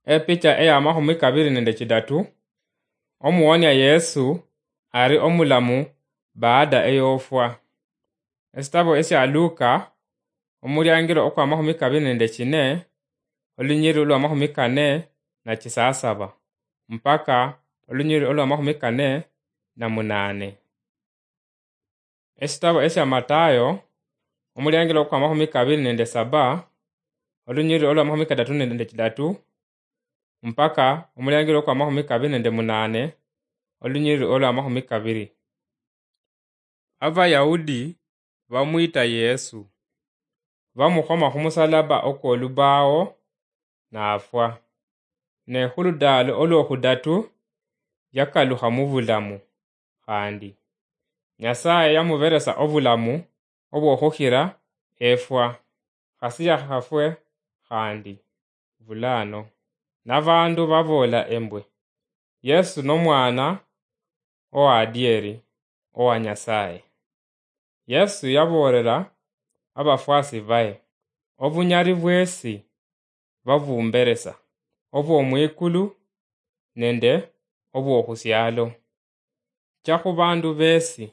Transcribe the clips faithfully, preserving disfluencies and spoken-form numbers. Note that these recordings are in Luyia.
Epicha eya mahumi kabiri nende chidatu, omuwonia Yesu ari omulamu baada eyofwa. Esitabo esia Luka, omuliangiro okwa mahumi kabiri nende chine, olunyiri olwa mahumi kane na chisasaba, mpaka olunyiri olwa mahumi kane na munane. Esitabo esia Matayo, omuliangiro okwa mahumi kabiri nende saba, olunyiri olwa mahumi kadatu nende chidatu, mpaka omuliangiro okwa mahumi kabiri nende munane, olunyiri olwa mahumi kabiri. Abayahudi bamwita Yesu, bamukhoma khumusalaba okwolubawo, nafwa. Ne khuludaalo olwokhudatu, yakalukha mubulamu khandi. Nyasaye yamuberesa obulamu obwokhukhira efwa, khasi yakhafwe khandi bulano. Nabandu baboola embwe, Yesu nomwana owadieri owa Nyasaye. Yesu yaboolera abafwasi baye, obunyali bwesi babumberesa, obwomwikulu nende obwokhusialo. Cha khubandu besi,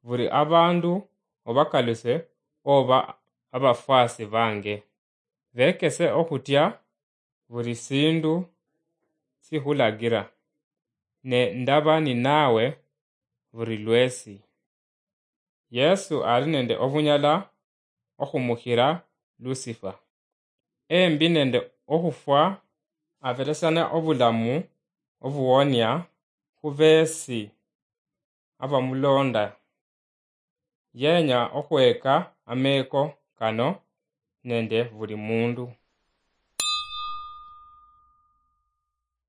buli abandu obakaluse oba abafwasi bange. Bekese okhutya buli sindu sikhulagira, ne ndaba ninawe buli lwesi. Yesu ali nende obunyala okhumukhira Lucifer. Embi nende okhufwa, aberesana obulamu obuwonia khubesi abamulonda. Yenya okhweka ameko kano nende buli mundu.